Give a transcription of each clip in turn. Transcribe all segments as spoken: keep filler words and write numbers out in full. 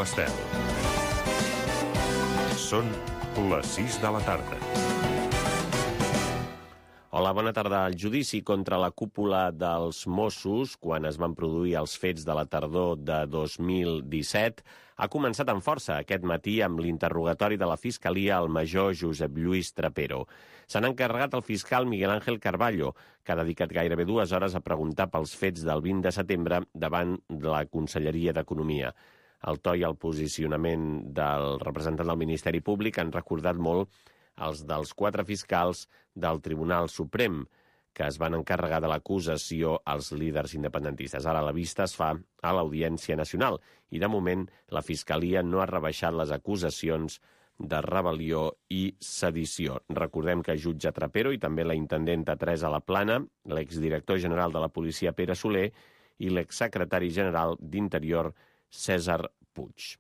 Ràdio Estel. Són les sis de la tarda. Hola, bona tarda. El judici contra la cúpula dels Mossos, quan es van produir els fets de la tardor de dos mil disset, ha començat amb força aquest matí amb l'interrogatori de la Fiscalia al major Josep Lluís Trapero. Se n'ha encarregat el fiscal Miguel Ángel Carballo, que ha dedicat gairebé dues hores a preguntar pels fets del vint de setembre davant de la Conselleria d'Economia. El to i el posicionament del representant del Ministeri Públic han recordat molt els dels quatre fiscals del Tribunal Suprem, que es van encarregar de l'acusació als líders independentistes. Ara la vista es fa a l'Audiència Nacional i, de moment, la Fiscalia no ha rebaixat les acusacions de rebel·lió i sedició. Recordem que jutge Trapero i també la intendenta Teresa Laplana, l'exdirector general de la policia Pere Soler i l'exsecretari general d'Interior Cèsar Puig.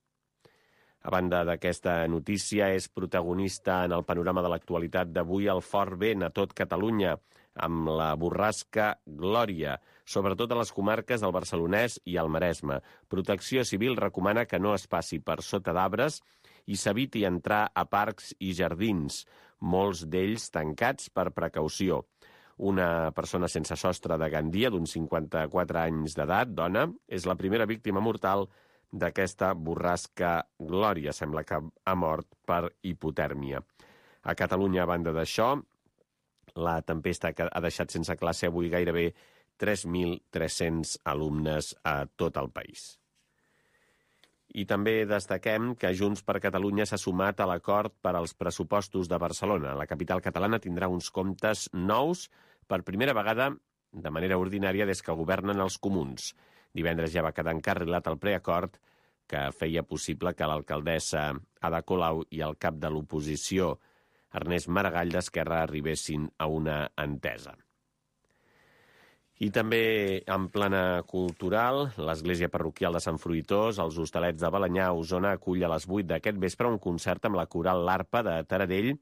A banda d'aquesta notícia, és protagonista en el panorama de l'actualitat d'avui el fort vent a tot Catalunya, amb la borrasca Glòria, sobretot a les comarques del Barcelonès i el Maresme. Protecció Civil recomana que no es passi per sota d'arbres i s'eviti entrar a parcs i jardins, molts d'ells tancats per precaució. Una persona sense sostre de Gandia, d'uns cinquanta-quatre anys d'edat, dona, és la primera víctima mortal d'aquesta borrasca Glòria. Sembla que ha mort per hipotèrmia. A Catalunya, a banda d'això, la tempesta ha deixat sense classe avui gairebé tres mil tres-cents alumnes a tot el país. I també destaquem que Junts per Catalunya s'ha sumat a l'acord per als pressupostos de Barcelona. La capital catalana tindrà uns comptes nous per primera vegada de manera ordinària des que governen els comuns. Divendres ja va quedar encarrilat el preacord que feia possible que l'alcaldessa Ada Colau i el cap de l'oposició, Ernest Maragall d'Esquerra, arribessin a una entesa. I també en plana cultural, l'Església Parroquial de Sant Fruitós, els Hostalets de Balenyà, a Osona, acull a les vuit d'aquest vespre un concert amb la coral L'Arpa de Taradell,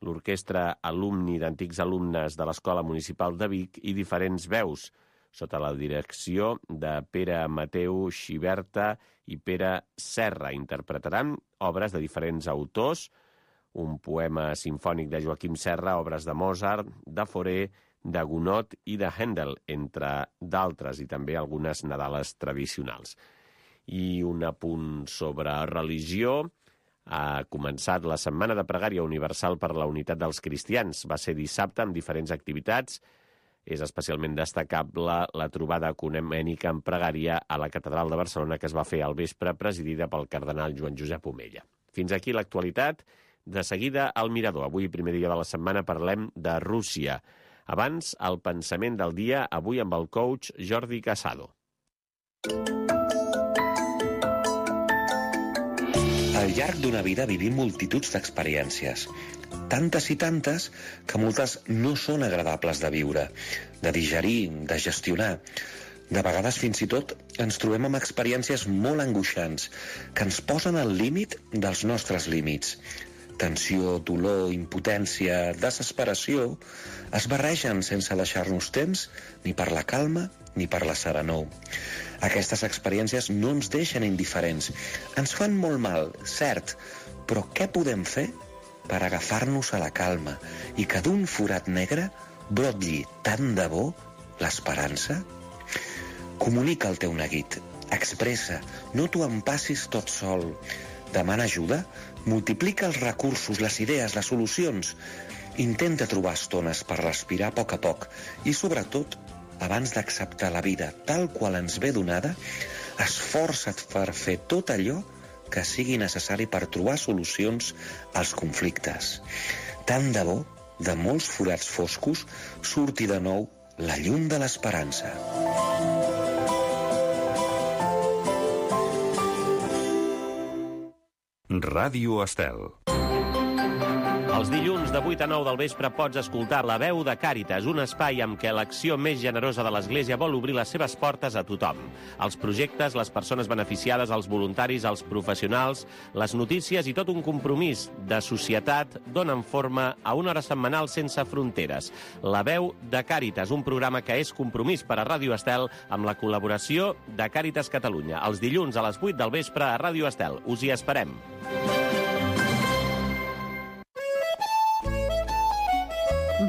l'orquestra alumni d'antics alumnes de l'Escola Municipal de Vic i diferents veus, sota la direcció de Pere Mateu Xiberta i Pere Serra. Interpretaran obres de diferents autors, un poema simfònic de Joaquim Serra, obres de Mozart, de Fauré, de Gounod i de Händel, entre d'altres, i també algunes nadales tradicionals. I un apunt sobre religió. Ha començat la Setmana de Pregària Universal per la Unitat dels Cristians. Va ser dissabte amb diferents activitats. És especialment destacable la trobada ecumènica en pregària a la Catedral de Barcelona que es va fer al vespre, presidida pel cardenal Joan Josep Omella. Fins aquí l'actualitat. De seguida, al Mirador. Avui, primer dia de la setmana, parlem de Rússia. Abans, el pensament del dia, avui amb el coach Jordi Casado. Al llarg d'una vida vivim multituds d'experiències. Tantes i tantes que moltes no són agradables de viure, de digerir, de gestionar. De vegades, fins i tot, ens trobem amb experiències molt angoixants que ens posen al límit dels nostres límits. Tensió, dolor, impotència, desesperació es barregen sense deixar-nos temps ni per la calma ni per la serenor. Aquestes experiències no ens deixen indiferents. Ens fan molt mal, cert, però què podem fer per agafar-nos a la calma i que d'un forat negre brotlli tant de bo l'esperança? Comunica el teu neguit, expressa, no t'ho empassis tot sol. Demana ajuda, multiplica els recursos, les idees, les solucions. Intenta trobar estones per respirar a poc a poc i, sobretot, abans d'acceptar la vida tal qual ens ve donada, esforça't per fer tot allò que sigui necessari per trobar solucions als conflictes. Tant de bo, de molts forats foscos, surti de nou la llum de l'esperança. Ràdio Estel. Els dilluns de vuit a nou del vespre pots escoltar La veu de Càritas, un espai amb què l'acció més generosa de l'Església vol obrir les seves portes a tothom. Els projectes, les persones beneficiades, els voluntaris, els professionals, les notícies i tot un compromís de societat donen forma a una hora setmanal sense fronteres. La veu de Càritas, un programa que és compromís per a Ràdio Estel amb la col·laboració de Càritas Catalunya. Els dilluns a les vuit del vespre a Ràdio Estel. Us hi esperem.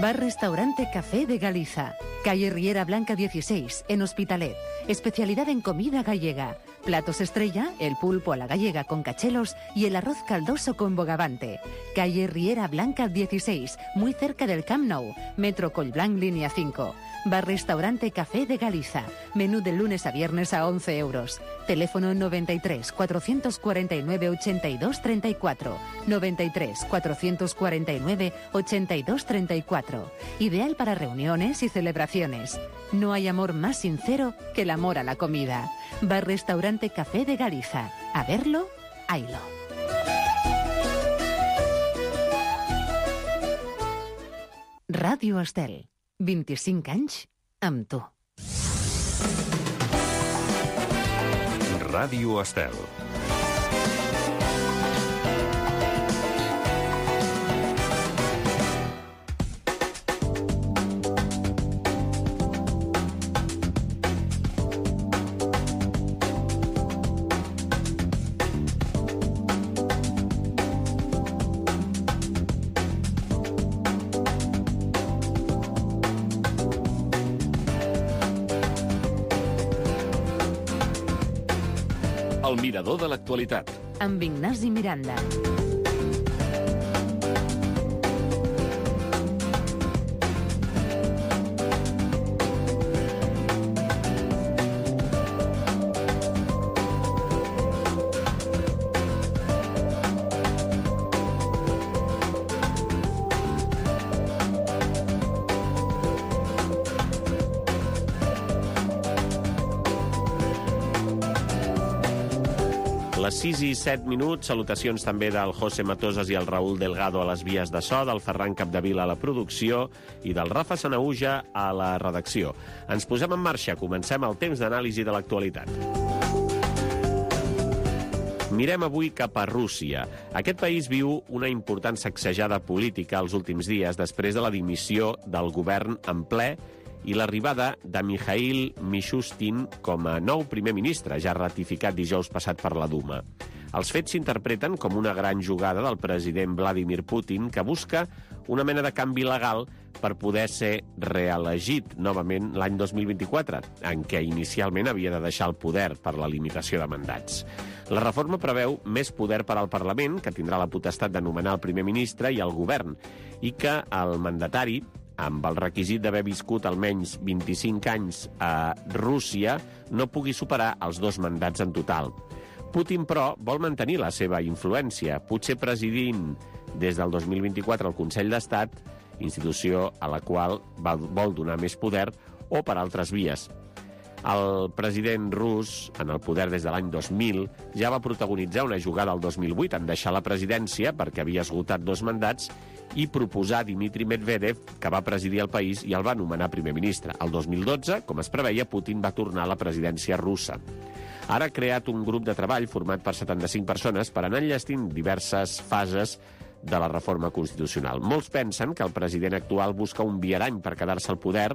Bar Restaurante Café de Galiza, calle Riera Blanca dieciséis, en Hospitalet. Especialidad en comida gallega. Platos estrella, el pulpo a la gallega con cachelos y el arroz caldoso con bogavante. Calle Riera Blanca dieciséis, muy cerca del Camp Nou. Metro Collblanc, línea cinco. Bar Restaurante Café de Galiza. Menú de lunes a viernes a once euros. Teléfono noventa y tres, cuatrocientos cuarenta y nueve, ochenta y dos, treinta y cuatro. noventa y tres, cuatrocientos cuarenta y nueve, ochenta y dos, treinta y cuatro. Ideal para reuniones y celebraciones. No hay amor más sincero que el amor a la comida. Bar Restaurante Café de Galiza. A verlo, haylo. Ràdio Estel. vint-i-cinc anys amb tu. Ràdio Estel. El mirador de l'actualitat. Amb Ignasi Miranda. Les sis i set minuts, salutacions també del José Matosas i el Raúl Delgado a les vies de so, del Ferran Capdevila a la producció i del Rafa Sanauja a la redacció. Ens posem en marxa, comencem el temps d'anàlisi de l'actualitat. Mirem avui cap a Rússia. Aquest país viu una important sacsejada política els últims dies després de la dimissió del govern en ple i l'arribada de Mikhail Mishustin com a nou primer ministre, ja ratificat dijous passat per la Duma. Els fets s'interpreten com una gran jugada del president Vladimir Putin que busca una mena de canvi legal per poder ser reelegit novament l'any dos mil vint-i-quatre, en què inicialment havia de deixar el poder per la limitació de mandats. La reforma preveu més poder per al Parlament, que tindrà la potestat de nomenar el primer ministre i el govern, i que el mandatari, amb el requisit d'haver viscut almenys vint-i-cinc anys a Rússia, no pugui superar els dos mandats en total. Putin, però, vol mantenir la seva influència, potser presidint des del dos mil vint-i-quatre el Consell d'Estat, institució a la qual vol donar més poder, o per altres vies. El president rus, en el poder des de l'any dos mil, ja va protagonitzar una jugada el dos mil vuit en deixar la presidència perquè havia esgotat dos mandats i proposar Dmitry Medvedev, que va presidir el país i el va nomenar primer ministre. El dos mil dotze, com es preveia, Putin va tornar a la presidència russa. Ara ha creat un grup de treball format per setanta-cinc persones per anar enllestint diverses fases de la reforma constitucional. Molts pensen que el president actual busca un viarany per quedar-se al poder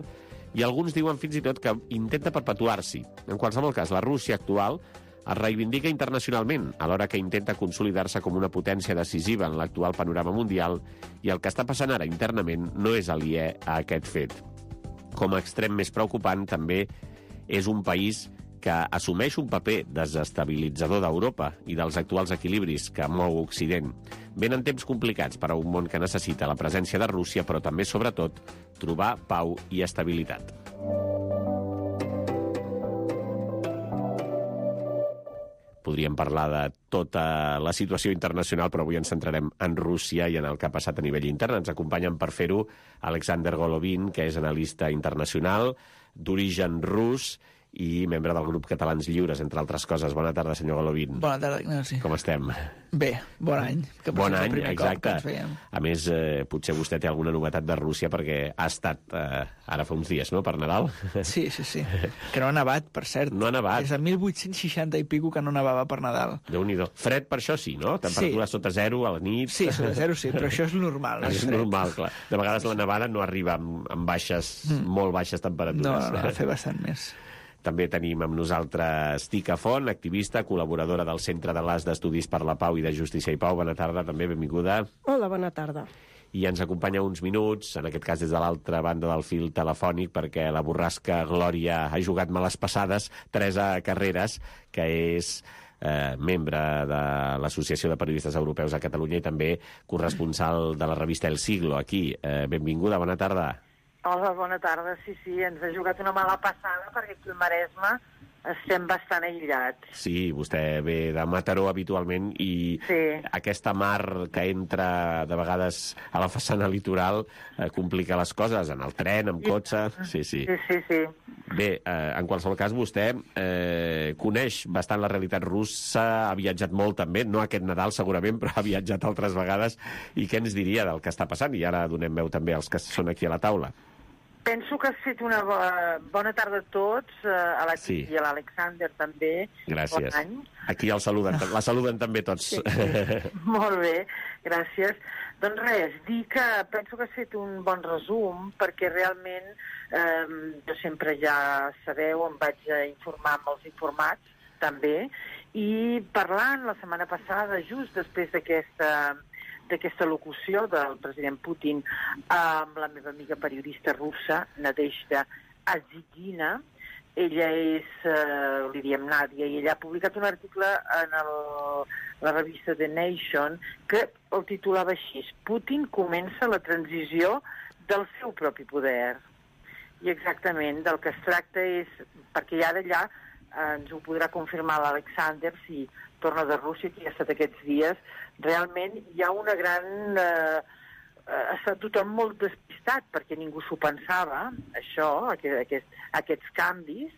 i alguns diuen fins i tot que intenta perpetuar-s'hi. En qualsevol cas, la Rússia actual es reivindica internacionalment, alhora que intenta consolidar-se com una potència decisiva en l'actual panorama mundial, i el que està passant ara internament no és aliè a aquest fet. Com a extrem més preocupant, també és un país que assumeix un paper desestabilitzador d'Europa i dels actuals equilibris que mou Occident. Venen temps complicats per a un món que necessita la presència de Rússia, però també, sobretot, trobar pau i estabilitat. Podríem parlar de tota la situació internacional, però avui ens centrarem en Rússia i en el que ha passat a nivell intern. Ens acompanyen per fer-ho Alexander Golovin, que és analista internacional d'origen rus i membre del grup Catalans Lliures, entre altres coses. Bona tarda, senyor Golovin. Bona tarda, Ignasi. Com estem? Bé, bon any. Que bon any, exacte. A més, eh, potser vostè té alguna novetat de Rússia, perquè ha estat eh, ara fa uns dies, no?, per Nadal. Sí, sí, sí. Que no ha nevat, per cert. No ha nevat. És de mil vuit-cents seixanta i pico que no nevava per Nadal. Déu-n'hi-do. Fred per això sí, no? Temperatura sí. Sota zero a la nit. Sí, sota zero sí, però això és normal. No és, és normal, clar. De vegades la nevada no arriba amb, amb baixes, mm. molt baixes temperatures. No, no, no, fer bastant més. També tenim amb nosaltres Tica Font, activista, col·laboradora del Centre de l'As d'Estudis per la Pau i de Justícia i Pau. Bona tarda, també, benvinguda. Hola, bona tarda. I ens acompanya uns minuts, en aquest cas des de l'altra banda del fil telefònic, perquè la borrasca Glòria ha jugat males passades, Teresa Carreras, que és eh, membre de l'Associació de Periodistes Europeus a Catalunya i també corresponsal de la revista El Siglo, aquí. Eh, benvinguda, bona tarda. Hola, bona tarda. Sí, sí, ens ha jugat una mala passada perquè aquí al Maresme estem bastant aïllats. Sí, vostè ve de Mataró habitualment i sí. Aquesta mar que entra de vegades a la façana litoral eh, complica les coses, en el tren, amb cotxe... Sí, sí. Sí, sí, sí. Bé, eh, en qualsevol cas, vostè eh, coneix bastant la realitat russa, ha viatjat molt també, no aquest Nadal segurament, però ha viatjat altres vegades. I què ens diria del que està passant? I ara donem veu també als que són aquí a la taula. Penso que has fet una bo bona tarda a tots, a la sí. I a l'Alexander també. Gràcies. Bon any. Aquí el saluden, la saluden també tots. Sí, sí. Molt bé, gràcies. Doncs res, dir que penso que has fet un bon resum, perquè realment eh, jo sempre ja sabeu, em vaig a informar amb els informats també, i parlant la setmana passada, just després d'aquesta... d'aquesta locució del president Putin amb la meva amiga periodista russa, Nadezhda Azigina. Ella és, eh, li diem Nàdia, i ella ha publicat un article en el, la revista The Nation que el titulava així: Putin comença la transició del seu propi poder. I exactament del que es tracta és, perquè ja d'allà eh, ens ho podrà confirmar l'Alexander si torna de Rússia, que ha estat aquests dies, realment hi ha una gran... Eh, ha estat tothom molt despistat, perquè ningú s'ho pensava, això, aquest, aquest, aquests canvis,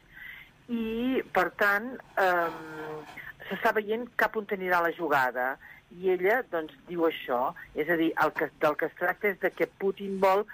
i, per tant, eh, s'està veient cap on anirà la jugada. I ella, doncs, diu això, és a dir, el que, del que es tracta és de que Putin vol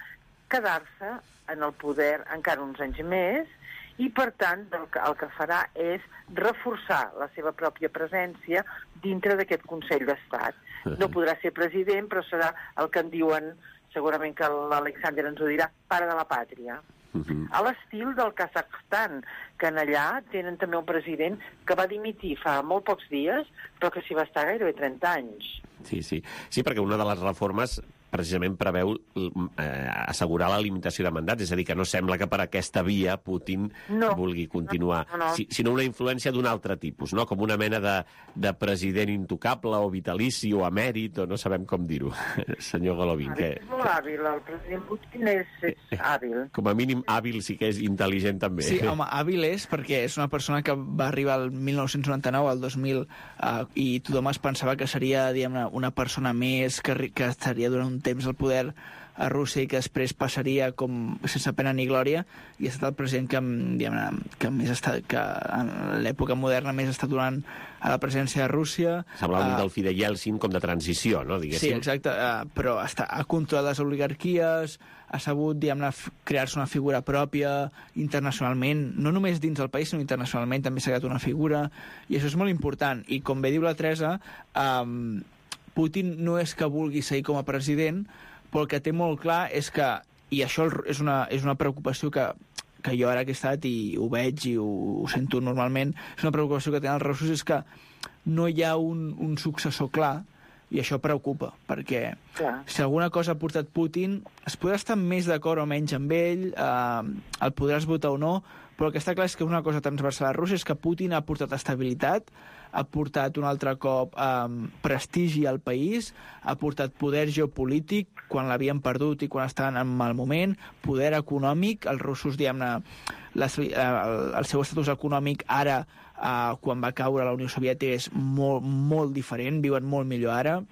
quedar-se en el poder encara uns anys més, i, per tant, el que, el que farà és reforçar la seva pròpia presència dintre d'aquest Consell d'Estat. No podrà ser president, però serà el que en diuen, segurament que l'Alexander ens ho dirà, pare de la pàtria. Uh-huh. A l'estil del Kazakhstan, que en allà tenen també un president que va dimitir fa molt pocs dies, però que s'hi va estar gairebé trenta anys. Sí, sí. Sí, perquè una de les reformes precisament preveu eh, assegurar la limitació de mandats, és a dir, que no sembla que per aquesta via Putin no, vulgui continuar, no, no, no. Si, sinó una influència d'un altre tipus, no? Com una mena de, de president intocable o vitalici o emèrit, o no sabem com dir-ho, senyor Golovin. Que... És molt hàbil, el president Putin és, és hàbil. Com a mínim hàbil sí que és intel·ligent també. Sí, home, hàbil és perquè és una persona que va arribar al mil nou-cents noranta-nou, al dos mil, uh, i tothom es pensava que seria, diguem-ne, una persona més que, que estaria durant un temps al poder a Rússia i que després passaria com sense pena ni glòria, i ha estat el president que, diguem-ne, que més està, que en l'època moderna més està donant a la presidència de Rússia. Semblava uh, un del Fidel Yeltsin com de transició, no? Diguéssim. Sí, exacte, uh, però està, ha controlat les oligarquies, ha sabut, diguem-ne, crear-se una figura pròpia internacionalment, no només dins del país, sinó internacionalment també s'ha creat una figura, i això és molt important. I com bé diu la Teresa, um, Putin no és que vulgui seguir com a president, però el que té molt clar és que, i això és una, és una preocupació que, que jo ara que he estat i ho veig i ho, ho sento normalment, és una preocupació que tenen els russos, és que no hi ha un, un successor clar, i això preocupa, perquè clar. Si alguna cosa ha portat Putin, es podrà estar més d'acord o menys amb ell, eh, el podràs votar o no, però el que està clar és que una cosa transversal a Rússia és que Putin ha portat estabilitat, ha portat un altre cop eh, prestigi al país, ha portat poder geopolític quan l'havien perdut i quan estaven en mal moment, poder econòmic, els russos, diguem-ne, el, el seu estatus econòmic ara, eh, quan va caure la Unió Soviètica, és molt, molt diferent, viuen molt millor ara,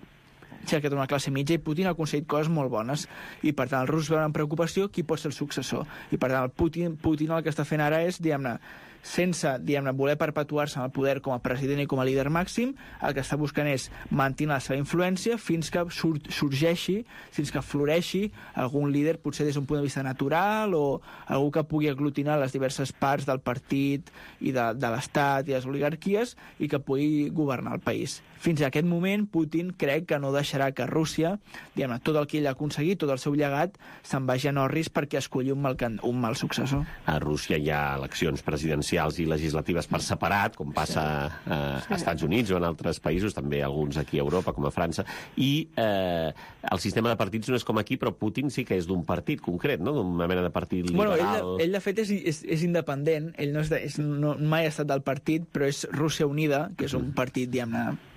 s'ha creat una classe mitja i Putin ha aconseguit coses molt bones, i per tant els russos veuen amb preocupació qui pot ser el successor, i per tant el Putin, Putin el que està fent ara és, diguem-ne, sense, diguem-ne, voler perpetuar-se en el poder com a president i com a líder màxim, el que està buscant és mantenir la seva influència fins que sur sorgeixi, fins que floreixi algun líder, potser des d'un punt de vista natural, o algú que pugui aglutinar les diverses parts del partit i de, de l'Estat i les oligarquies i que pugui governar el país. Fins a aquest moment, Putin crec que no deixarà que Rússia, diguem-ne, tot el que ell ha aconseguit, tot el seu llegat, se'n vagi a Norris perquè escolli un mal, un mal successor. A Rússia hi ha eleccions presidencials i legislatives per separat, com passa sí. a sí. Estats Units o en altres països, també alguns aquí a Europa, com a França, i eh, el sistema de partits no és com aquí, però Putin sí que és d'un partit concret, no? D'una mena de partit liberal. Bueno, ell, ell de fet és, és, és independent, ell no és de, és, no, mai ha estat del partit, però és Rússia Unida, que és un partit, diguem-ne,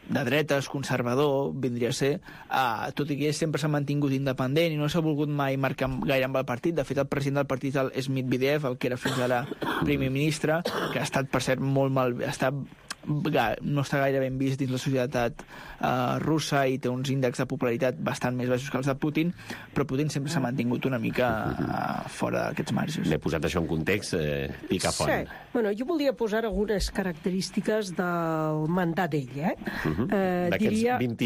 de dretes, conservador, vindria a ser, uh, tot i que ell sempre s'ha mantingut independent i no s'ha volgut mai marcar gaire amb el partit. De fet, el president del partit és Medvedev, el que era fins ara primer ministre, que ha estat, per cert, molt mal... Està, no està gaire ben vist dins la societat uh, russa i té uns índexs de popularitat bastant més baixos que els de Putin, però Putin sempre s'ha mantingut una mica uh, fora d'aquests marges. L'he posat això en context, eh, picafont. Sí. Bueno, jo volia posar algunes característiques del mandat d'ell, eh? Uh -huh. eh D'aquests diria... vint,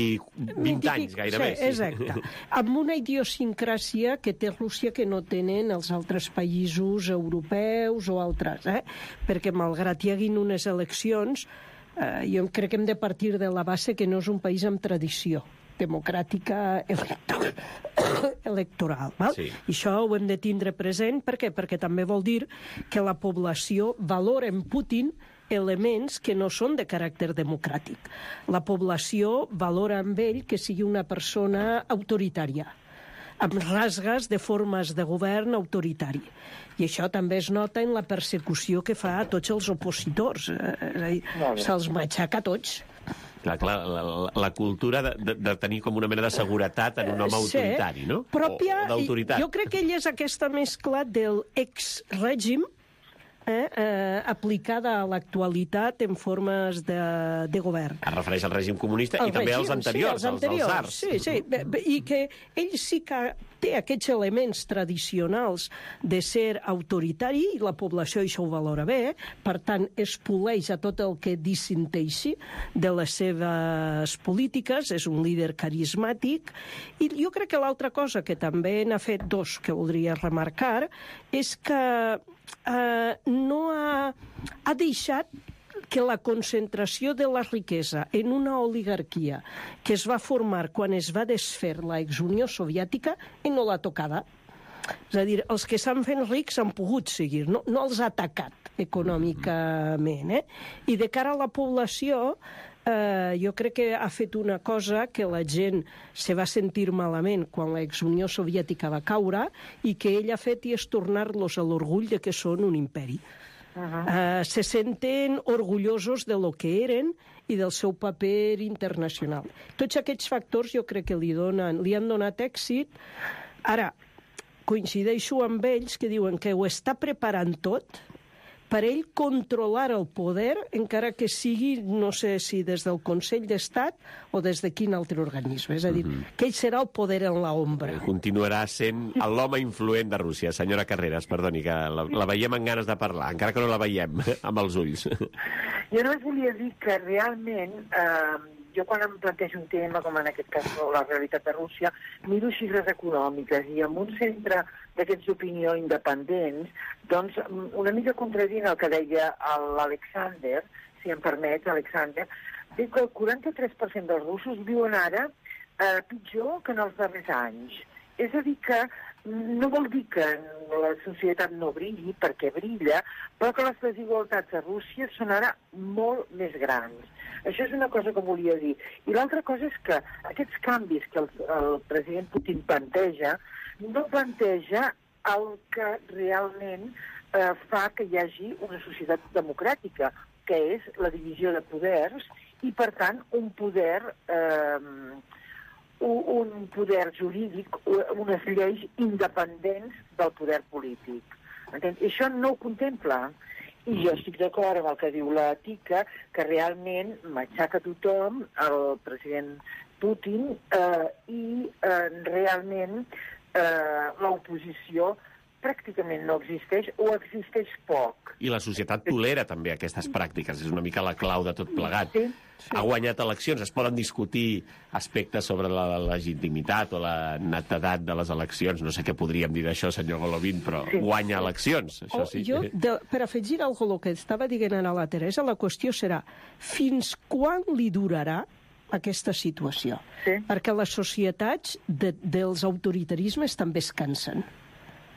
vint anys, gairebé. Sí, exacte. Amb una idiosincràsia que té Rússia que no tenen els altres països europeus o altres, eh? Perquè malgrat hi haguin unes eleccions, Uh, jo crec que hem de partir de la base que no és un país amb tradició democràtica electoral. electoral val? Sí. I això ho hem de tindre present. Per què? Perquè també vol dir que la població valora en Putin elements que no són de caràcter democràtic. La població valora amb ell que sigui una persona autoritària, amb rasgues de formes de govern autoritari. I això també es nota en la persecució que fa a tots els opositors. Eh, Se'ls matxaca a tots. Clar, clar, la, la cultura de, de, de tenir com una mena de seguretat en un home sí, autoritari, no? Pròpia, o, o d'autoritat. Jo crec que ell és aquesta mescla del ex-règim Eh, eh, aplicada a l'actualitat en formes de, de govern. Es refereix al règim comunista el i també règim, als anteriors, sí, als anteriors, als zars. Sí, sí, i que ell sí que té aquests elements tradicionals de ser autoritari i la població això ho valora bé, per tant es poleix a tot el que dissenteixi de les seves polítiques, és un líder carismàtic, i jo crec que l'altra cosa que també n'ha fet dos que voldria remarcar és que Uh, no ha, ha deixat que la concentració de la riquesa en una oligarquia que es va formar quan es va desfer la exunió soviètica i no l'ha tocada. És a dir, els que s'han fet rics han pogut seguir, no, no els ha atacat econòmicament. Eh? I de cara a la població, Uh, jo crec que ha fet una cosa que la gent se va sentir malament quan l'ex-Unió Soviètica va caure i que ell ha fet i és tornar-los a l'orgull de que són un imperi. Uh -huh. uh, se senten orgullosos de lo que eren i del seu paper internacional. Tots aquests factors jo crec que li, donen, li han donat èxit. Ara, coincideixo amb ells que diuen que ho està preparant tot per ell controlar el poder, encara que sigui, no sé si des del Consell d'Estat o des de quin altre organisme. És a dir, mm-hmm. que ell serà el poder en l'ombra. Continuarà sent l'home influent de Rússia. Senyora Carreras, perdoni, que la, la veiem amb ganes de parlar, encara que no la veiem amb els ulls. Jo només volia dir que realment... Eh, jo quan em plantejo un tema, com en aquest cas la realitat de Rússia, miro xifres econòmiques i amb un centre d'aquests d'opinió independents, doncs una mica contradient el que deia l'Alexander, si em permets, Alexander, diu que el quaranta-tres per cent dels russos viuen ara eh, pitjor que en els darrers anys. És a dir que no vol dir que la societat no brilli, perquè brilla, però que les desigualtats a Rússia són ara molt més grans. Això és una cosa que volia dir. I l'altra cosa és que aquests canvis que el, el president Putin planteja no planteja el que realment eh, fa que hi hagi una societat democràtica, que és la divisió de poders i, per tant, un poder... Eh, un poder jurídic, unes lleis independents del poder polític. Entens? Això no ho contempla. I jo estic d'acord amb el que diu la Tica, que realment matxaca tothom, el president Putin, eh, i eh, realment eh, l'oposició pràcticament no existeix o existeix poc. I la societat tolera també aquestes pràctiques, és una mica la clau de tot plegat. Sí, sí. Ha guanyat eleccions, es poden discutir aspectes sobre la legitimitat o la netedat de les eleccions, no sé què podríem dir d'això, senyor Golovin, però sí. guanya eleccions, això sí. Oh, jo, de, per afegir alguna cosa que estava dient ara la Teresa, la qüestió serà fins quan li durarà aquesta situació? Sí. Perquè les societats de, dels autoritarismes també es cansen.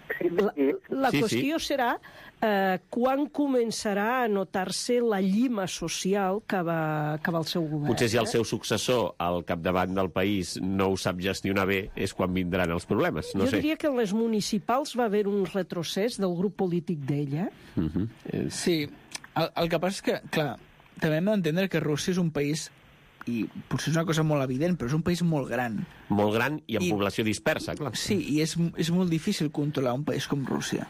Sí, La, la sí, qüestió sí. serà eh, quan començarà a notar-se la llima social que va, que va el seu govern. Potser si el eh? seu successor al capdavant del país no ho sap gestionar bé, és quan vindran els problemes. No jo sé. diria que en les municipals va haver un retrocés del grup polític d'ella. Uh -huh. és... Sí, el, el que passa és que, clar, també hem d'entendre que Rússia és un país, i potser és una cosa molt evident, però és un país molt gran. Molt gran i amb I, població dispersa, clar. Sí, i és, és molt difícil controlar un país com Rússia.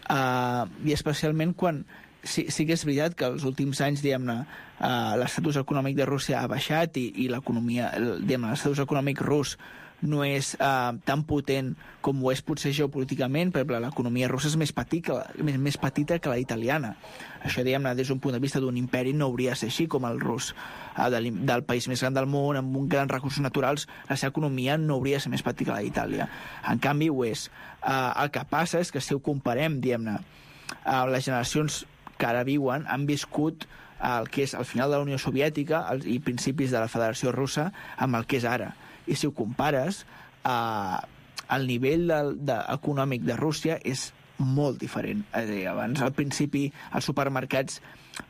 Uh, I especialment quan... Sí, sí que és veritat que els últims anys, diguem-ne, uh, l'estatus econòmic de Rússia ha baixat i, i l'economia, diguem-ne, l'estatus econòmic rus no és uh, tan potent com ho és potser geopolíticament, però l'economia russa és més, petit que la, més, més petita que la italiana. Això, diguem-ne, des d'un punt de vista d'un imperi no hauria de ser així com el rus. Uh, del, del país més gran del món, amb uns grans recursos naturals, la seva economia no hauria de ser més petita que la d'Itàlia. En canvi, ho és. Uh, el que passa és que si ho comparem, diguem-ne, uh, les generacions que ara viuen han viscut el que és el final de la Unió Soviètica el, i principis de la Federació Russa amb el que és ara. I si ho compares, eh, el nivell de, de, econòmic de Rússia és molt diferent. És a dir, abans, al principi, als supermercats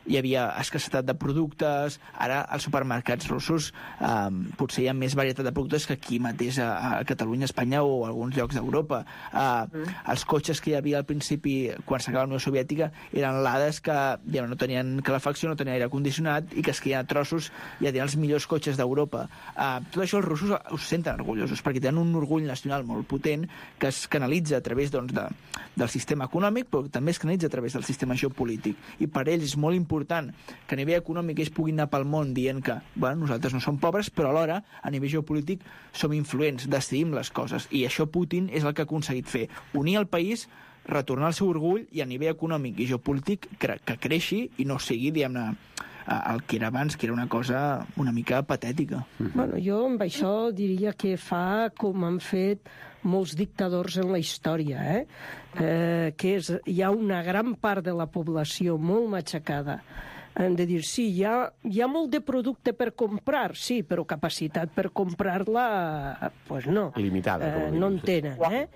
hi havia escassetat de productes, ara als supermercats russos eh, potser hi ha més varietat de productes que aquí mateix a, a Catalunya, Espanya o a alguns llocs d'Europa. Eh, mm. Els cotxes que hi havia al principi, quan s'acaba la Unió Soviètica, eren lades que ja, no tenien calefacció, no tenien aire condicionat i que es queien a trossos i ja tenien els millors cotxes d'Europa. Eh, tot això els russos ho senten orgullosos perquè tenen un orgull nacional molt potent que es canalitza a través doncs, de, del sistema econòmic, però també es canalitza a través del sistema geopolític. I per ells és molt important que a nivell econòmic ells puguin anar pel món dient que bueno, nosaltres no som pobres, però alhora a nivell geopolític som influents, decidim les coses. I això Putin és el que ha aconseguit fer. Unir el país, retornar el seu orgull i a nivell econòmic i geopolític que, que creixi i no sigui, diguem-ne, el que era abans, que era una cosa una mica patètica. Bueno, jo amb això diria que fa com han fet molts dictadors en la història, eh? Eh, que és, hi ha una gran part de la població molt matxacada. Hem de dir, sí, hi ha, hi ha molt de producte per comprar, sí, però capacitat per comprar-la, pues no. Limitada. Eh, no en tenen, eh?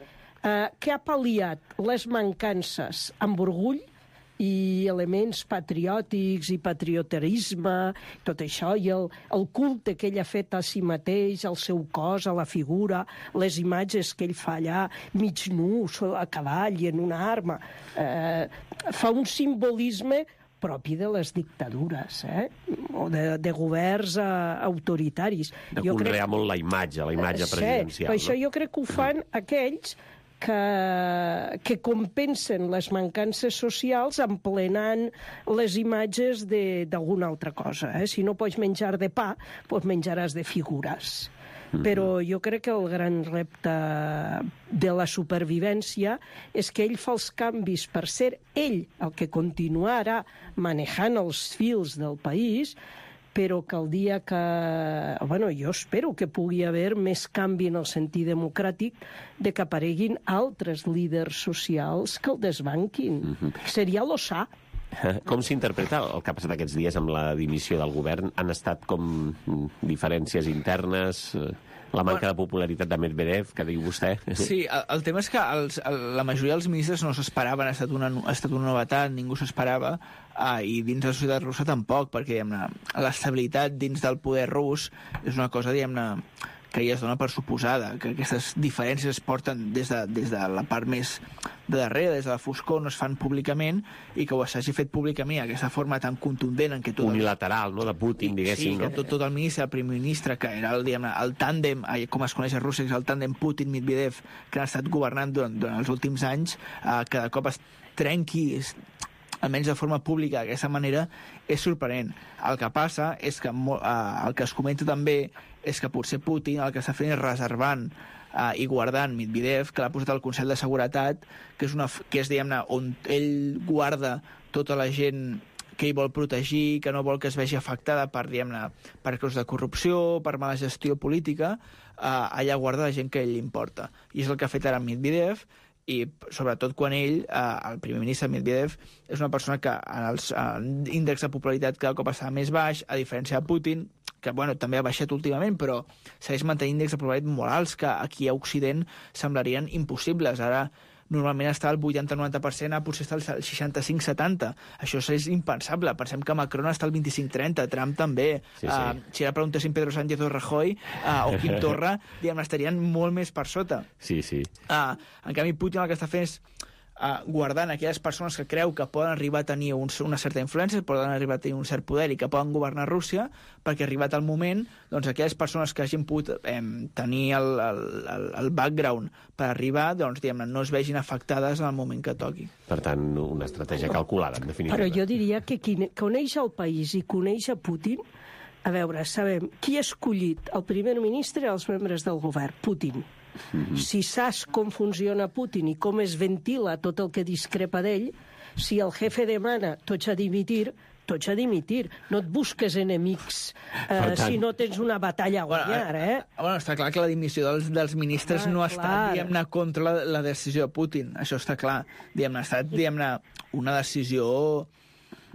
Eh, que ha pal·liat les mancances amb orgull i elements patriòtics i patrioterisme, tot això, i el, el culte que ell ha fet a si mateix, al seu cos, a la figura, les imatges que ell fa allà, mig nu, a cavall i en una arma. Eh, fa un simbolisme propi de les dictadures, eh? O de, de governs uh, autoritaris. De jo conrear crec... molt la imatge, la imatge sí, presidencial. Per això no? jo crec que ho fan mm. aquells que, que compensen les mancances socials emplenant les imatges d'alguna altra cosa. Eh? Si no pots menjar de pa, doncs menjaràs de figures. Mm-hmm. Però jo crec que el gran repte de la supervivència és que ell fa els canvis per ser ell el que continuarà manejant els fils del país, però que el dia que... Bueno, jo espero que pugui haver més canvi en el sentit democràtic de que apareguin altres líders socials que el desbanquin. Mm-hmm. Seria lo sa. Com s'interpreta el que ha passat aquests dies amb la dimissió del govern? Han estat com diferències internes, la manca de popularitat de Medvedev, que diu vostè? Sí, el, el tema és que els, el, la majoria dels ministres no s'esperaven, ha estat una, ha estat una novetat, ningú s'esperava, ah, i dins de la societat russa tampoc, perquè l'estabilitat dins del poder rus és una cosa, diguem-ne, que ja es dona per suposada, que aquestes diferències es porten des de, des de la part més de darrere, des de la foscor, no es fan públicament, i que ho s'hagi fet públicament aquesta forma tan contundent en què tot... Unilateral, no?, de Putin, diguéssim. Sí, no? que tot, tot el ministre, el primer ministre, que era el, diguem-ne, el tàndem, com es coneix a Rússia, és el tàndem Putin-Medvedev, que han estat governant durant, durant els últims anys, eh, cada cop es trenqui, es, almenys de forma pública d'aquesta manera, és sorprenent. El que passa és que uh, el que es comenta també és que potser Putin el que està fent és reservant uh, i guardant Medvedev, que l'ha posat al Consell de Seguretat, que és, una, que és diguem-ne, on ell guarda tota la gent que ell vol protegir, que no vol que es vegi afectada per, diguem-ne, per causa de corrupció, per mala gestió política, uh, allà guarda la gent que a ell li importa. I és el que ha fet ara Medvedev, i sobretot quan ell, eh, el primer ministre Medvedev, és una persona que en els índexs de popularitat cada cop està més baix, a diferència de Putin, que bueno, també ha baixat últimament, però segueix mantenint índexs de popularitat molt alts que aquí a Occident semblarien impossibles. Ara normalment està al vuitanta noventa per cent, potser està al seixanta-cinc setanta. Això és impensable. Pensem que Macron està al vint-i-cinc trenta, Trump també. Sí, sí. Uh, si ara preguntéssim Pedro Sánchez o Rajoy uh, o Quim Torra, diguem, estarien molt més per sota. Sí, sí. Uh, en canvi, Putin el que està fent és uh, guardant aquelles persones que creu que poden arribar a tenir un, una certa influència, poden arribar a tenir un cert poder i que poden governar Rússia, perquè arribat el moment, doncs aquelles persones que hagin pogut eh, tenir el, el, el, el background per arribar, doncs, diguem, no es vegin afectades en el moment que toqui. Per tant, una estratègia calculada, en definitiva. Però jo diria que qui coneix el país i coneix a Putin, a veure, sabem qui ha escollit el primer ministre i els membres del govern? Putin. Mm-hmm. Si saps com funciona Putin i com es ventila tot el que discrepa d'ell, si el jefe demana tots a dimitir, tots a dimitir. No et busques enemics eh, tant... si no tens una batalla a guanyar, eh? Bueno, està clar que la dimissió dels, dels ministres ah, no ha estat, diguem-ne, contra la, la decisió de Putin. Això està clar. Diguem-ne, ha estat, diguem-ne, una decisió,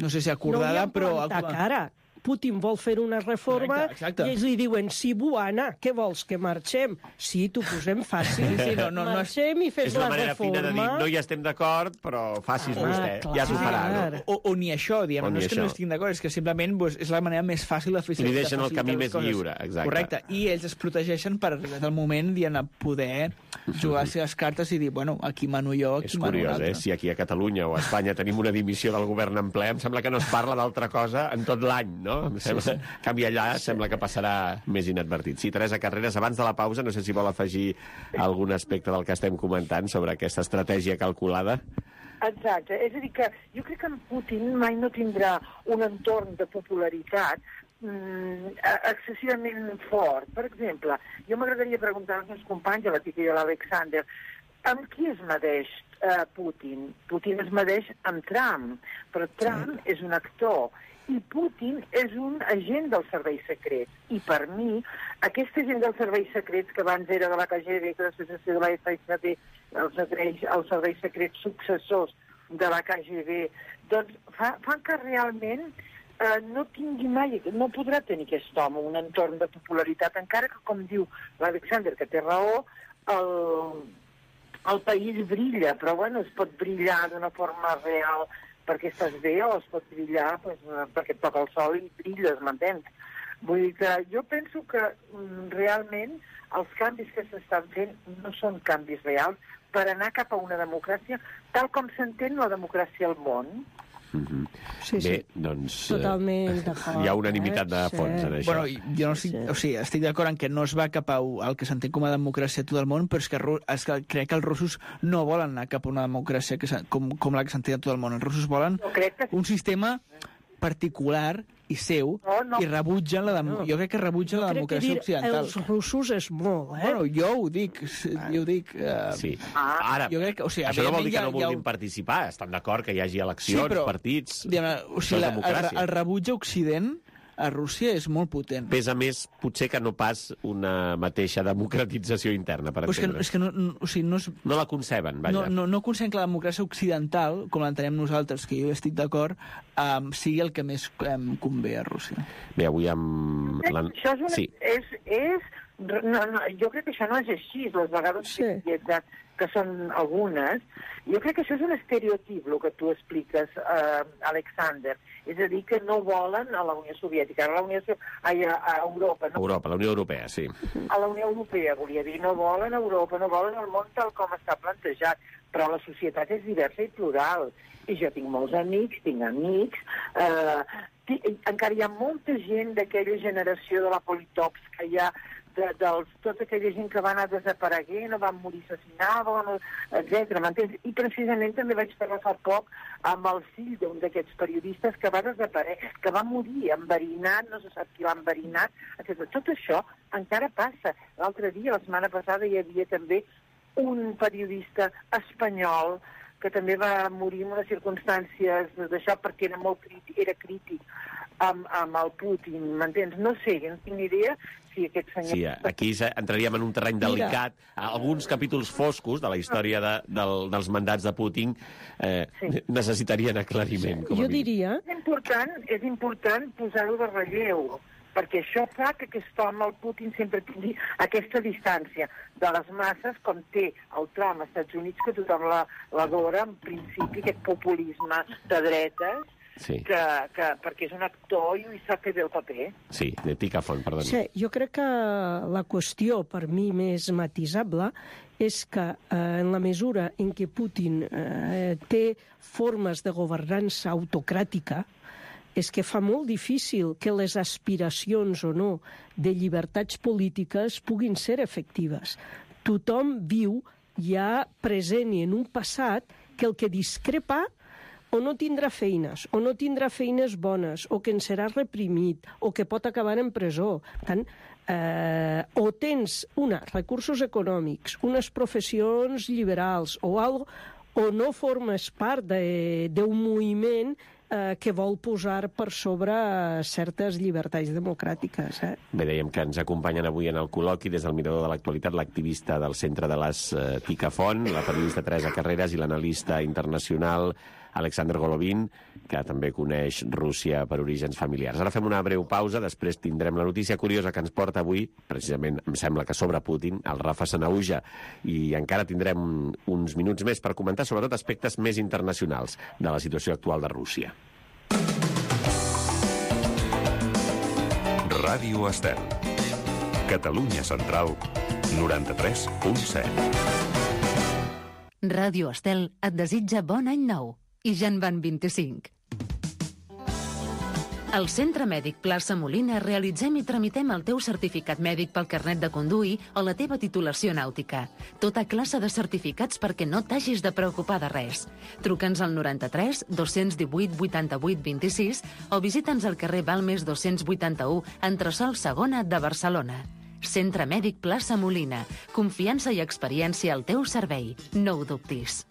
no sé si acordada, no però... No li han plantat cara. Putin vol fer una reforma exacte, exacte. I ells li diuen, sí, Buana, què vols, que marxem? Sí, t'ho posem fàcil. Sí, no, no, marxem no és, i fes la reforma. És una manera fina de dir, no hi estem d'acord, però facis ah, vostè, clar, ja s'ho farà. No? O, o ni això, diem, o no és que això. No estiguin d'acord, és que simplement pues, és la manera més fàcil de fer. I li deixen el camí més lliure, exacte. Correcte, i ells es protegeixen per arribar al moment de poder jugar les seves cartes i dir, bueno, aquí mano jo, aquí és mano curiós, l'altre. Eh? Si aquí a Catalunya o a Espanya tenim una dimissió del govern en ple, em sembla que no es parla d'altra cosa en tot l'any, no? Em sembla... Sí, sí. En canvi, allà sembla que passarà més inadvertit. Sí, Teresa Carreras, abans de la pausa, no sé si vol afegir algun aspecte del que estem comentant sobre aquesta estratègia calculada. Exacte. És a dir, que jo crec que en Putin mai no tindrà un entorn de popularitat mm, excessivament fort. Per exemple, jo m'agradaria preguntar als meus companys, a la Tica i a l'Alexander, amb qui es medeix uh, Putin? Putin es medeix amb Trump, però Trump sí. és un actor. I Putin és un agent dels serveis secrets. I per mi, aquest agent dels serveis secrets, que abans era de la K G B, que després va ser de la F S B, els, els serveis secrets successors de la K G B, doncs fa, fan que realment eh, no tingui mai, no podrà tenir aquest home un entorn de popularitat, encara que, com diu l'Alexander, que té raó, el, el país brilla, però bueno, es pot brillar d'una forma real perquè estàs bé, o es pot brillar pues, perquè et toca el sol i brilles, m'entens? Vull dir que jo penso que mm, realment els canvis que s'estan fent no són canvis reals per anar cap a una democràcia tal com s'entén la democràcia al món. Mm-hmm. Sí, sí. Bé, doncs... Totalment d'acord. Hi ha unanimitat de fons sí. en això. Bueno, jo no estic, sí. o sigui, estic d'acord en que no es va cap a el que s'entén com a democràcia a tot el món, però és que, és que crec que els russos no volen anar cap a una democràcia que, com, com la que s'entén a tot el món. Els russos volen que... un sistema particular i seu, no, no. i rebutgen la dem... no. jo crec que rebutgen jo la democràcia occidental. Els russos és molt, eh? Bueno, jo ho dic, jo ho dic... Uh... Sí. Ah. Ara, jo crec que, o sigui, això no vol dir que no vulguin ha... participar, estan d'acord que hi hagi eleccions, sí, però, partits... Diguem, o sigui, la, el, el rebuig a Occident a Rússia és molt potent. Pesa més, potser, que no pas una mateixa democratització interna, per exemple. És que, és que no, no, o sigui, no, és, no la conceben, vaja. No, no, no conceben que la democràcia occidental, com l'entenem nosaltres, que jo estic d'acord, um, sigui el que més um, convé a Rússia. Bé, avui amb... La... Això és una... Sí. És, és... No, no, jo crec que això no és així, les vegades sí. que, que són algunes. Jo crec que això és un estereotip, el que tu expliques, uh, Alexander. És a dir, que no volen a la Unió Soviètica, a la Unió ai, a, a Europa. No? Europa, la Unió Europea, sí. A la Unió Europea, volia dir, no volen Europa, no volen el món tal com està plantejat. però la societat és diversa i plural. I jo tinc molts amics, tinc amics, eh, tinc, encara hi ha molta gent d'aquella generació de la Politops que hi ha, de, dels, tota aquella gent que va anar desapareguent o van morir assassinada, etcètera. M'entens? I precisament també vaig parlar fa poc amb el fill d'un d'aquests periodistes que va desaparèixer, que va morir enverinat, no se sap qui l'ha enverinat, etcètera. Tot això encara passa. L'altre dia, la setmana passada, hi havia també un periodista espanyol que també va morir en unes circumstàncies d'això perquè era molt crític, era crític amb, amb el Putin, m'entens? No sé, no tinc ni idea si aquest senyor... Sí, aquí entraríem en un terreny delicat. Mira. Alguns capítols foscos de la història de, del, dels mandats de Putin eh, sí. necessitarien aclariment. Com a jo diria... És important, és important posar-ho de relleu, perquè això fa que aquest home, el Putin, sempre tingui aquesta distància de les masses, com té el Trump als Estats Units, que tothom l'adora, en principi, aquest populisme de dretes, sí. que, que, perquè és un actor i sap fer bé el paper. Sí, de Ticafont, perdoni. Sí, jo crec que la qüestió, per mi, més matisable és que eh, en la mesura en què Putin eh, té formes de governança autocràtica, és que fa molt difícil que les aspiracions o no de llibertats polítiques puguin ser efectives. Tothom viu ja present i en un passat que el que discrepa o no tindrà feines, o no tindrà feines bones, o que en serà reprimit, o que pot acabar en presó. Per tant, eh, o tens, una, recursos econòmics, unes professions liberals, o algo, o no formes part d'un moviment eh, que vol posar per sobre certes llibertats democràtiques. Eh? Bé, dèiem que ens acompanyen avui en el col·loqui des del Mirador de l'Actualitat l'activista del Centre de les eh, Ticafont, la periodista Teresa Carreras i l'analista internacional Alexander Golovin, que també coneix Rússia per orígens familiars. Ara fem una breu pausa, després tindrem la notícia curiosa que ens porta avui, precisament, em sembla que sobre Putin, el Rafa Sanauja, i encara tindrem uns minuts més per comentar sobretot aspectes més internacionals de la situació actual de Rússia. Ràdio Estel. Catalunya Central, noranta-tres punt set. Ràdio Estel et desitja bon any nou. I ja en van vint-i-cinc. Al Centre Mèdic Plaça Molina realitzem i tramitem el teu certificat mèdic pel carnet de conduir o la teva titulació nàutica. Tota classe de certificats perquè no t'hagis de preocupar de res. Truca'ns al noranta-tres dos-cents divuit vuitanta-vuit vint-i-sis o visita'ns al carrer Balmes dos-cents vuitanta-u, entresòl segona de Barcelona. Centre Mèdic Plaça Molina. Confiança i experiència al teu servei. No ho dubtis.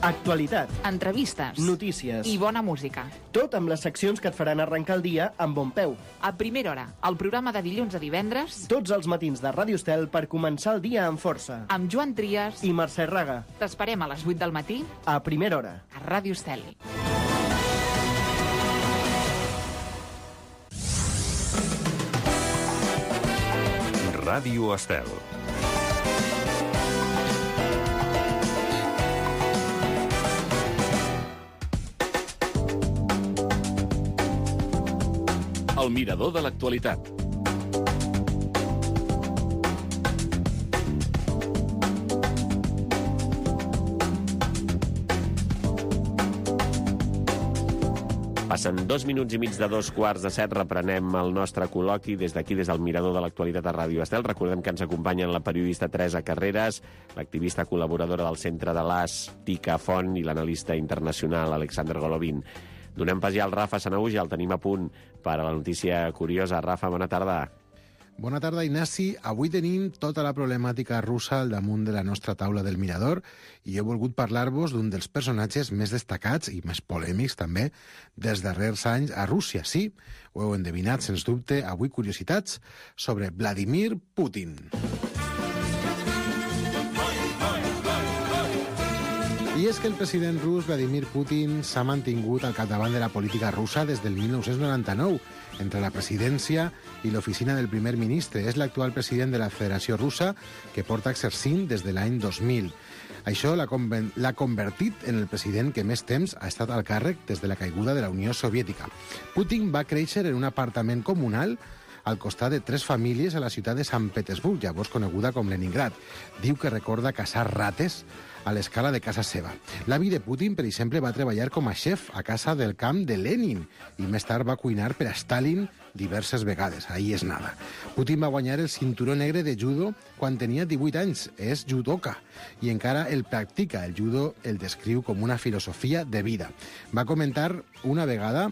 Actualitat, entrevistes, notícies i bona música. Tot amb les seccions que et faran arrencar el dia amb bon peu. A primera hora, el programa de dilluns a divendres. Tots els matins de Ràdio Estel per començar el dia amb força. Amb Joan Trias i Mercè Raga. T'esperem a les vuit del matí. A primera hora. A Ràdio Estel. Ràdio Estel. El mirador de l'actualitat. Passen dos minuts i mig de dos quarts de set, reprenem el nostre col·loqui des d'aquí, des del Mirador de l'Actualitat a Ràdio Estel. Recordem que ens acompanyen la periodista Teresa Carreras, l'activista col·laboradora del Centre de l'As Ticafont i l'analista internacional Alexander Golovin. Donem pas ja al Rafa Sanauja, el tenim a punt per a la notícia curiosa. Rafa, bona tarda. Bona tarda, Ignasi. Avui tenim tota la problemàtica russa al damunt de la nostra taula del Mirador i he volgut parlar-vos d'un dels personatges més destacats i més polèmics, també, dels darrers anys a Rússia. Sí, ho heu endevinat, sens dubte, avui curiositats sobre Vladimir Putin. I és que el president rus Vladimir Putin s'ha mantingut al capdavant de la política russa des del mil nou-cents noranta-nou, entre la presidència i l'oficina del primer ministre. És l'actual president de la Federació Russa, que porta exercint des de l'any dos mil. Això l'ha convertit en el president que més temps ha estat al càrrec des de la caiguda de la Unió Soviètica. Putin va créixer en un apartament comunal al costat de tres famílies a la ciutat de Sant Petersburg, llavors coneguda com Leningrad. Diu que recorda caçar rates a l'escala de casa seva. L'avi de Putin, per exemple, va treballar com a xef a casa del camp de Lenin i més tard va cuinar per a Stalin diverses vegades. Ahí és nada. Putin va guanyar el cinturó negre de judo quan tenia divuit anys. És judoka i encara el practica. El judo el descriu com una filosofia de vida. Va comentar una vegada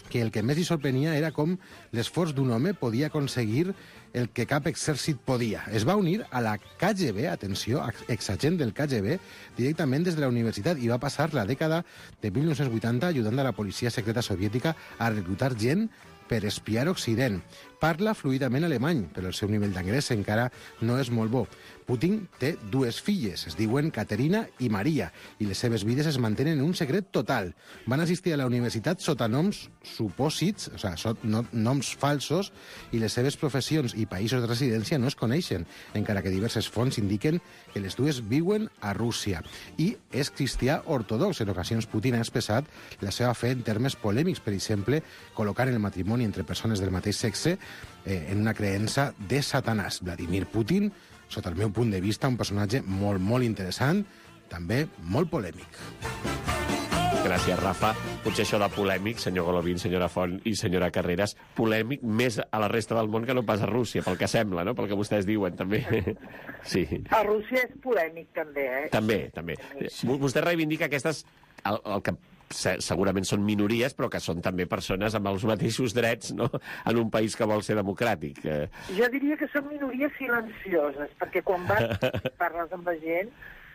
que el que més li sorprenia era com l'esforç d'un home podia aconseguir el que cap exèrcit podia. Es va unir a la K G B, atenció, exagent del K G B, directament des de la universitat i va passar la dècada de mil nou-cents vuitanta ajudant a la policia secreta soviètica a reclutar gent per espiar Occident. Parla fluidament alemany, però el seu nivell d'anglès encara no és molt bo. Putin té dues filles, es diuen Caterina i Maria, i les seves vides es mantenen en un secret total. Van assistir a la universitat sota noms supòsits, o sigui, sota no, noms falsos, i les seves professions i països de residència no es coneixen, encara que diverses fonts indiquen que les dues viuen a Rússia. I és cristià ortodox. En ocasions Putin ha expressat la seva fe en termes polèmics, per exemple, col·locant el matrimoni entre persones del mateix sexe eh, en una creença de Satanàs. Vladimir Putin, sota el meu punt de vista, un personatge molt, molt interessant, també molt polèmic. Gràcies, Rafa. Potser això de polèmic, senyor Golovin, senyora Font i senyora Carreras, polèmic més a la resta del món que no pas a Rússia, pel que sembla, no? Pel que vostès diuen, també. Sí. A Rússia és polèmic, també, eh? També, també. Vostè reivindica aquestes... El, el que segurament són minories, però que són també persones amb els mateixos drets, no?, en un país que vol ser democràtic. Jo diria que són minories silencioses, perquè quan vas parles amb la gent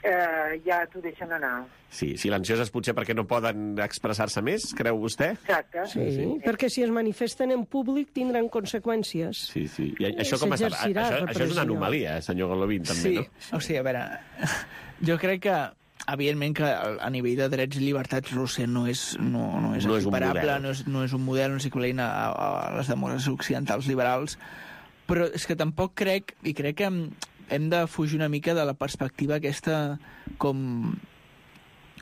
eh, ja t'ho deixen anar. Sí, silencioses potser perquè no poden expressar-se més, creu vostè? Exacte. Sí, sí, sí, perquè si es manifesten en públic tindran conseqüències. Sí, sí. I això com està? Això, això és una anomalia, senyor Golovin, també, sí. No? Sí, o sigui, a veure, jo crec que evidentment que a nivell de drets i llibertats Rússia no és, no, no és no equiparable, és no és, no és un model, no és equivalent a, a les democràcies occidentals liberals, però és que tampoc crec, i crec que hem de fugir una mica de la perspectiva aquesta com,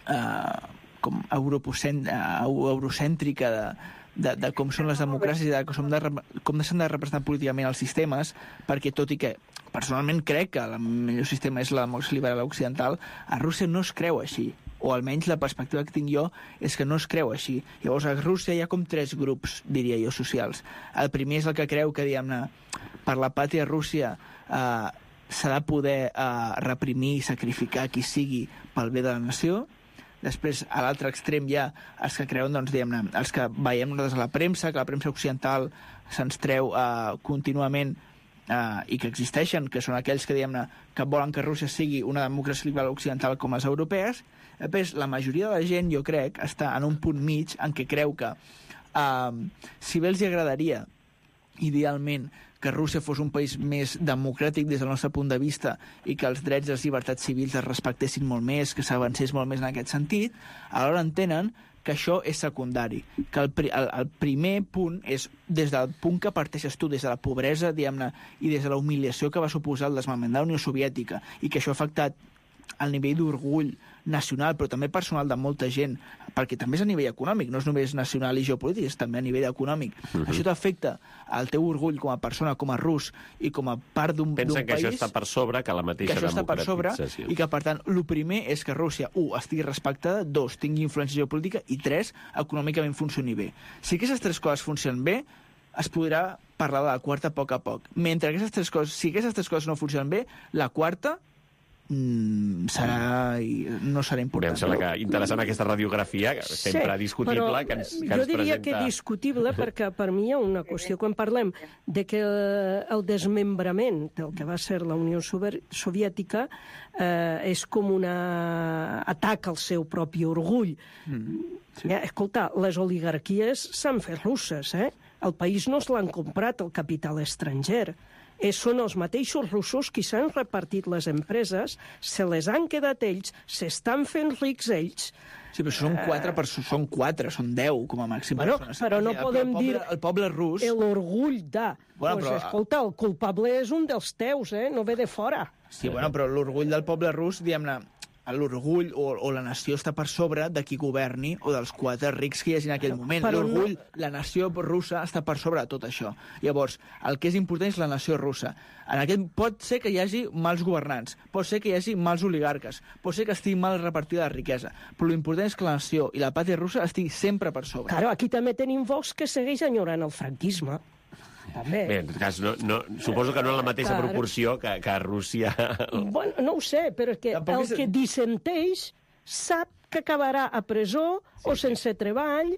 uh, com eurocèntrica de, de, de com són les democràcies i de com, de, com s'han de representar políticament els sistemes, perquè tot i que personalment crec que el millor sistema és la democràcia liberal occidental, a Rússia no es creu així, o almenys la perspectiva que tinc jo és que no es creu així. Llavors a Rússia hi ha com tres grups, diria jo, socials. El primer és el que creu que, diguem-ne, per la pàtria Rússia eh, s'ha de poder eh, reprimir i sacrificar qui sigui pel bé de la nació. Després, a l'altre extrem hi ha els que creuen, doncs, diguem-ne, els que veiem nosaltres a la premsa, que la premsa occidental se'ns treu eh, contínuament Uh, i que existeixen, que són aquells que, diguem-ne, que volen que Rússia sigui una democràcia liberal occidental com les europees. Després, la majoria de la gent, jo crec, està en un punt mig en què creu que uh, si bé els agradaria, idealment, que Rússia fos un país més democràtic des del nostre punt de vista i que els drets i les llibertats civils es respectessin molt més, que s'avancés molt més en aquest sentit, alhora entenen que això és secundari, que el, el, el primer punt és des del punt que parteixes tu, des de la pobresa, diguem-ne, i des de la humiliació que va suposar el desmembrament de la Unió Soviètica, i que això ha afectat el nivell d'orgull nacional, però també personal de molta gent, perquè també és a nivell econòmic, no és només nacional i geopolític, és també a nivell econòmic. Uh-huh. Això t'afecta el teu orgull com a persona, com a rus, i com a part d'un país... Pensen que això està per sobre, que la mateixa que això està per sobre, i que, per tant, el primer és que Rússia, un, estigui respectada, dos, tingui influència geopolítica, i tres, econòmicament funcioni bé. Si aquestes tres coses funcionen bé, es podrà parlar de la quarta a poc a poc. Mentre aquestes tres coses, si aquestes tres coses no funcionen bé, la quarta Mm, serà i no serà important. Em sembla que interessant aquesta radiografia, sempre sí, discutible, que ens, que ens jo diria presenta... que discutible, perquè per mi hi ha una qüestió. Quan parlem de que el desmembrament del que va ser la Unió Soviètica eh, és com un atac al seu propi orgull. Mm, sí. eh, escolta, les oligarquies s'han fet russes, eh? El país no se l'han comprat el capital estranger. Eh, són els mateixos russos qui s'han repartit les empreses, se les han quedat ells, s'estan fent rics ells. Sí, però són quatre, per, són quatre, són deu com a màxim. Bueno, però no el, podem el poble, dir... El poble rus... L'orgull de... Bueno, pues, però... Escolta, el culpable és un dels teus, eh? No ve de fora. Sí, bueno, però l'orgull del poble rus, diguem-ne, l'orgull o, o la nació està per sobre de qui governi o dels quatre rics que hi hagi en aquell moment. Però L'orgull, no... la nació russa està per sobre de tot això. Llavors, el que és important és la nació russa. En aquest pot ser que hi hagi mals governants, pot ser que hi hagi mals oligarques, pot ser que estigui mal repartida la riquesa, però l'important és que la nació i la pàtria russa estigui sempre per sobre. Claro, aquí també tenim Vox que segueix enyorant el franquisme. També. Bé, en tot cas, no, no, suposo que no en la mateixa Clar. proporció que, que a Rússia... Bueno, no ho sé, però és que Tampoc el és- que dissenteix sap que acabarà a presó o sense treball.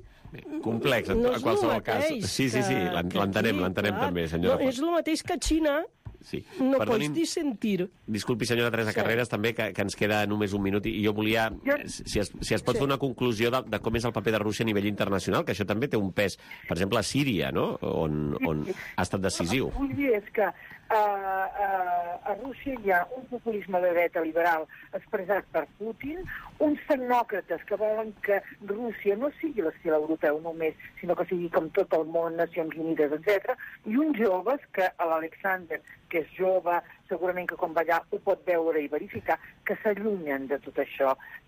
Complex, en, No en és qualsevol lo cas. mateix Sí, sí, sí, que- l'en- que l'entenem, aquí, l'entenem clar. també, senyora. No, és el mateix que a Xina. Sí. No Perdonin, pots dissentir. disculpi, senyora Teresa Sí. Carreras, també, que, que ens queda només un minut, i jo volia, Jo- si es, si es pot Sí. fer una conclusió de, de com és el paper de Rússia a nivell internacional, que això també té un pes, per exemple, a Síria, no?, on, on ha estat decisiu. El que vull dir és que uh, uh, a Rússia hi ha un populisme de dreta liberal expressat per Putin, uns tecnòcrates que volen que Rússia no sigui l'estil europeu només, sinó que sigui com tot el món, Nacions Unides, etcètera, i uns joves que l'Alexander, que és jove, segurament que quan va allà ho pot veure i verificar, que s'allunyen de tot això,